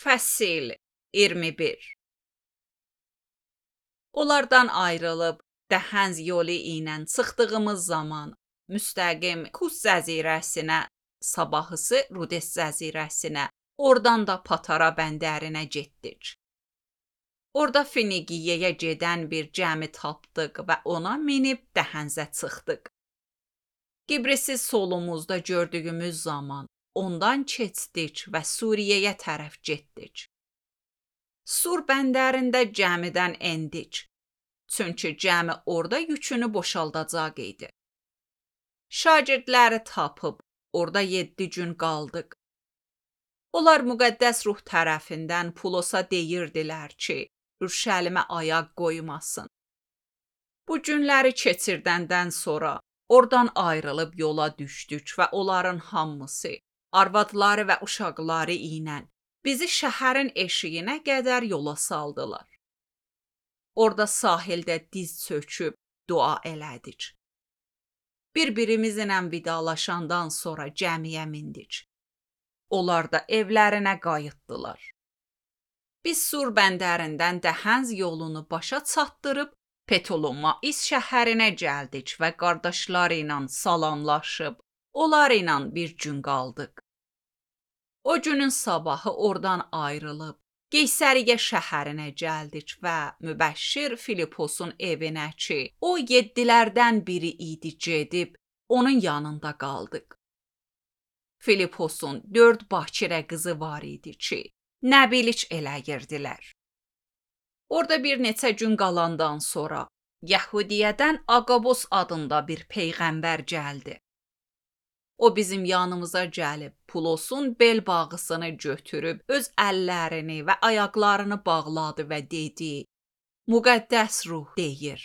Fəsil 21. Onlardan ayrılıb Dəhənz yolu ilə çıxdığımız zaman müstəqim Kus cəzirəsinə, sabahısı Rudes cəzirəsinə, oradan da Patara bəndərinə getdik. Orada Finiqiyəyə gedən bir gəmi tapdıq və ona minib Dəhənzə çıxdıq. Qibrisi solumuzda gördüyümüz zaman ondan keçdik və Suriyəyə tərəf getdik. Sur bəndərində gəmidən endik. Çünki gəmi orada yükünü boşaldacaq idi. Şagirdləri tapıb orada 7 gün qaldıq. Onlar müqəddəs ruh tərəfindən Pulosa deyirdilər ki, Ürşəlimə ayaq qoymasın. Bu günləri keçirdəndən sonra oradan ayrılıb yola düşdük və onların hamısı, arvadları və uşaqları ilə bizi şəhərin eşiyinə qədər yola saldılar. Orada sahildə diz çöküb dua elədik. Bir-birimizlə vidalaşandan sonra gəmiyə mindik. Onlar da evlərinə qayıtdılar. Biz Sur bəndərindən Dəhənz yolunu başa çatdırıb Ptolomais şəhərinə gəldik və qardaşları ilə salamlaşıb, onlar ilə bir gün qaldıq. O günün sabahı oradan ayrılıb Qeysəriyyə şəhərinə gəldik və Mübəşşir Filiposun evinə ki, o 7-lərdən biri idi gedib, onun yanında qaldıq. Filiposun 4 bakirə qızı var idi ki, nəbilik eləyirdilər. Orada bir neçə gün qalandan sonra Yəhudiyədən Aqabos adında bir peyğəmbər gəldi. O bizim yanımıza gəlib Pulosun bel bağısını götürüb öz əllərini və ayaqlarını bağladı və dedi: Müqəddəs ruh deyir,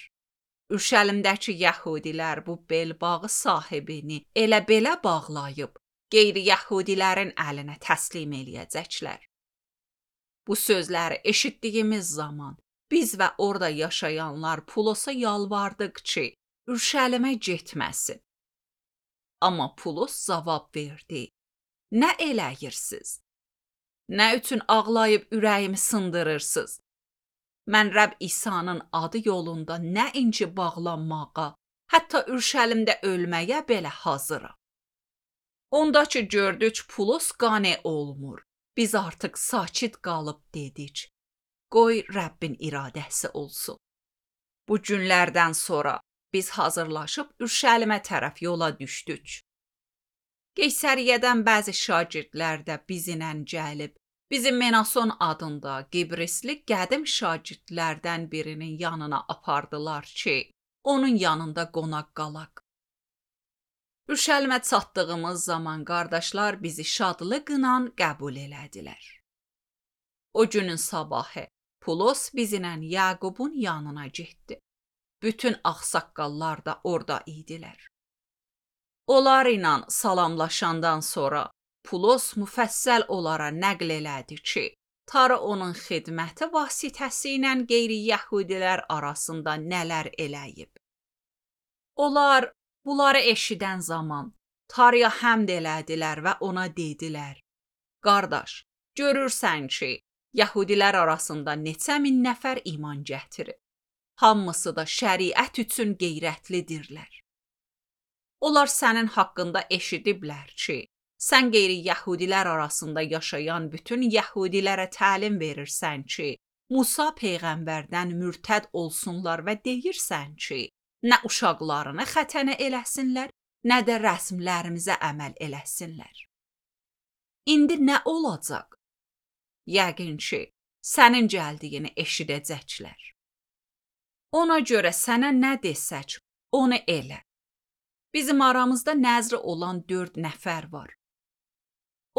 Ürşəlimdəki Yəhudilər bu bel bağı sahibini elə belə bağlayıb qeyri-Yəhudilərin əlinə təslim eləyəcəklər. Bu sözləri eşitdiyimiz zaman biz və orada yaşayanlar Pulosa yalvardıq ki, Ürşəlimə getməsin. Amma Pulos cavab verdi: Nə eləyirsiniz? Nə üçün ağlayıb ürəyimi sındırırsınız? Mən Rəbb İsa'nın adı yolunda nə inci bağlanmağa, hətta Ürşəlimdə ölməyə belə hazıram. Onda ki gördük Pulos qane olmur. Biz artıq sakit qalıb dedik: Qoy Rəbbin iradəsi olsun. Bu günlərdən sonra biz hazırlaşıb Ürşəlimə tərəf yola düşdük. Qeysəriyyədən bəzi şagirdlər də bizlə gəlib, bizi Menason adında Qibrisli qədim şagirdlərdən birinin yanına apardılar ki, onun yanında qonaq qalaq. Ürşəlimə çatdığımız zaman qardaşlar bizi şadlıqla qəbul elədilər. O günün sabahı Pulos bizlə Yaqubun yanına getdi. Bütün ağsaqqallar da orada idilər. Onlar ilə salamlaşandan sonra Pulos müfəssəl onlara nəql elədi ki, Tanrı onun xidməti vasitəsilə qeyri-Yəhudilər arasında nələr eləyib. Onlar bunları eşidən zaman Tanrıya həmd elədilər və ona dedilər: Qardaş, görürsən ki, Yəhudilər arasında neçə min nəfər iman gətirib. Hamısı da şəriət üçün qeyrətlidirlər. Onlar sənin haqqında eşidiblər ki, sən qeyri-Yəhudilər arasında yaşayan bütün Yəhudilərə təlim verirsən ki, Musa peyğəmbərdən mürtəd olsunlar və deyirsən ki, nə uşaqlarını xətənə eləsinlər, nə də rəsmlərimizə əməl eləsinlər. İndi nə olacaq? Yəqin ki, sənin gəldiyini eşidəcəklər. Ona görə sənə nə desək, onu elə. Bizim aramızda nəzri olan 4 nəfər var.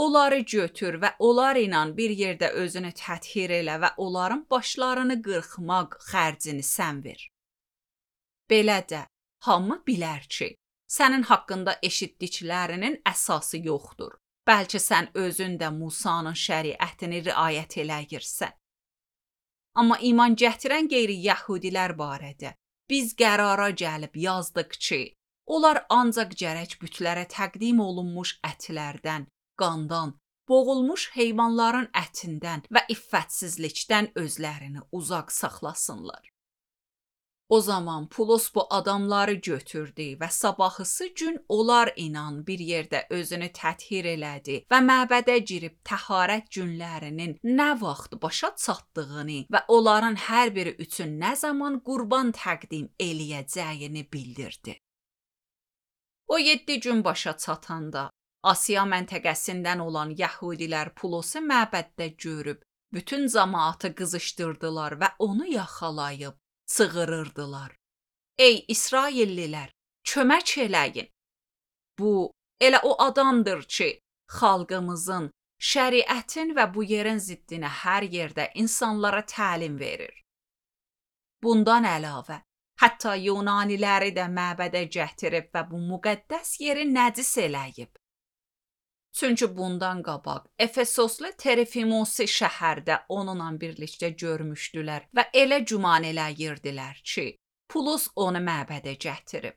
Onları götür və onlar ilə bir yerdə özünü təthir elə və onların başlarını qırxmaq xərcini sən ver. Belə də hamı bilər ki, sənin haqqında eşitdiklərinin əsası yoxdur. Bəlkə sən özün də Musanın şəriətini riayət eləyirsən. Amma iman gətirən qeyri-Yəhudilər barədə biz qərara gəlib yazdıq ki, onlar ancaq gərək bütlərə təqdim olunmuş ətlərdən, qandan boğulmuş heyvanların ətindən və iffətsizlikdən özlərini uzaq saxlasınlar. O zaman Pulos bu adamları götürdü və sabahısı gün onlar inan bir yerdə özünü təthir elədi və məbədə girib təharət günlərinin nə vaxt başa çatdığını və onların hər biri üçün nə zaman qurban təqdim eləyəcəyini bildirdi. O 7 gün başa çatanda Asiya məntəqəsindən olan yəhudilər Pulosu məbəddə görüb bütün cəmaatı qızışdırdılar və onu yaxalayıb çığırırdılar. Ey İsraillilər, kömək eləyin. Bu, elə o adamdır ki, xalqımızın, şəriətin və bu yerin ziddinə hər yerdə insanlara təlim verir. Bundan əlavə, hətta Yunaniləri də məbədə gətirib və bu müqəddəs yeri nəcis eləyib. Çünki bundan qabaq Efesoslu Terefimosi şəhərdə onunla birlikdə görmüşdülər və elə güman eləyirdilər ki, Pulos onu məbədə gətirib.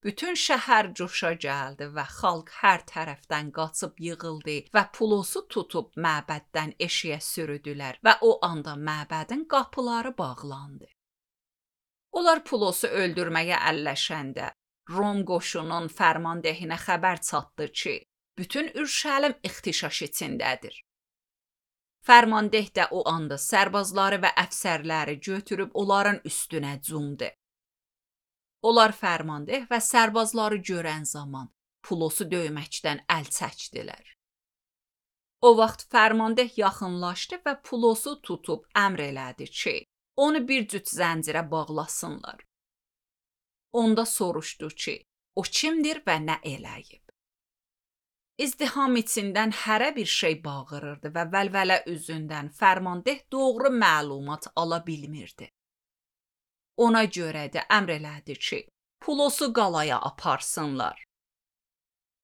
Bütün şəhər coşa gəldi və xalq hər tərəfdən qaçıb yığıldı və Pulosu tutub məbəddən eşiyə sürüdülər və o anda məbədin qapıları bağlandı. Onlar Pulosu öldürməyə əlləşəndə Rom qoşunun fərmandehinə xəbər çatdı ki, bütün Ürşəlim ixtişaş içindədir. Fərmandeh də o anda sərbazları və əfsərləri götürüb onların üstünə cumdu. Onlar fərmandeh və sərbazları görən zaman Pulosu döyməkdən əl çəkdilər. O vaxt fərmandeh yaxınlaşdı və Pulosu tutub əmr elədi ki, onu bir cüt zəncirə bağlasınlar. Onda soruşdu ki, o kimdir və nə eləyib? İzdiham içindən hərə bir şey bağırırdı və vəlvələ üzündən fərmandeh doğru məlumat ala bilmirdi. Ona görə də əmr elədi ki, Pulosu qalaya aparsınlar.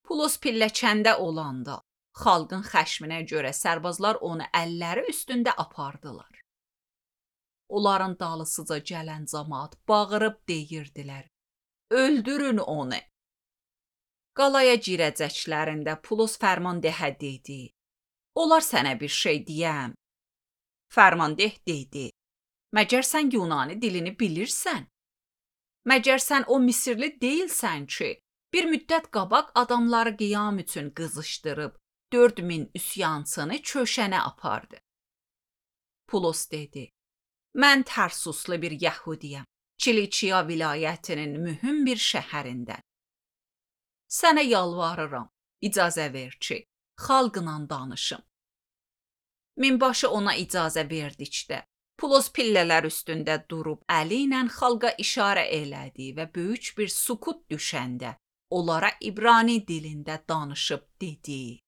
Pulos pilləkəndə olanda, xalqın xəşminə görə sərbazlar onu əlləri üstündə apardılar. Onların dalısıca gələn cəmaat bağırıb deyirdilər, öldürün onu. Qalaya girəcəklərində Pulos fərmandehə dedi, onlar sənə bir şey deyəm. Fərmandeh dedi, məgər sən Yunani dilini bilirsən? Məgər sən o Misirli deyilsən ki, bir müddət qabaq adamları qiyam üçün qızışdırıb 4000 üsyançını köşənə apardı. Pulos dedi, mən Tərsuslu bir yəhudiyəm, Kilikiya vilayətinin mühüm bir şəhərindən. Sənə yalvarıram, icazə ver ki, xalqla danışım. Minbaşı ona icazə verdikdə, Pulos pillələr üstündə durub əli ilə xalqa işarə elədi və böyük bir sukut düşəndə onlara İbrani dilində danışıb dedi.